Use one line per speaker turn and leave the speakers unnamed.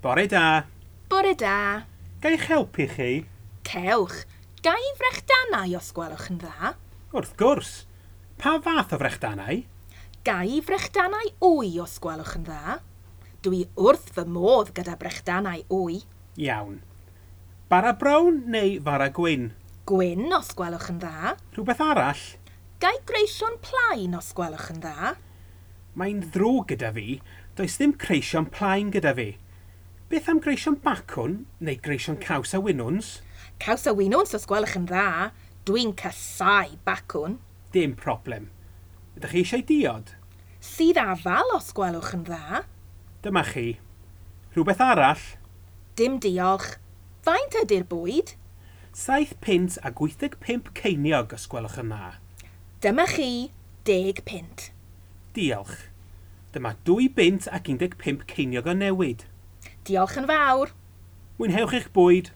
Bore da.
Bore da.
Ga i'ch helpu chi?
Cewch. Ga i frechdanau os gwelwch yn dda?
Wrth gwrs. Pa fath o frechdanau?
Ga i frechdanau wy os gwelwch yn dda? Dwi wrth fy modd gyda brechdanau wy.
Iawn. Bara brown neu fara gwyn?
Gwyn os gwelwch yn dda.
Rhywbeth arall?
Ga i greision plaen os gwelwch yn dda?
Mae'n ddrwg gyda fi. Does ddim creision plaen gyda fi. Beth am greision bacwn neu greision caws a winwns?
Caws a winwns os gwelwch yn dda. Dwi'n casáu bacwn.
Dim problem. Ydych chi eisiau diod?
Sudd afal os gwelwch yn dda.
Dyma chi. Rhywbeth arall?
Dim diolch. Faint ydy'r bwyd?
7 punt a 85 ceiniog os gwelwch yn dda.
Dyma chi 10 punt.
Diolch. Dyma 2 bunt ac 15 ceiniog o newid.
Diolch yn fawr.
Mwynhewch eich bwyd.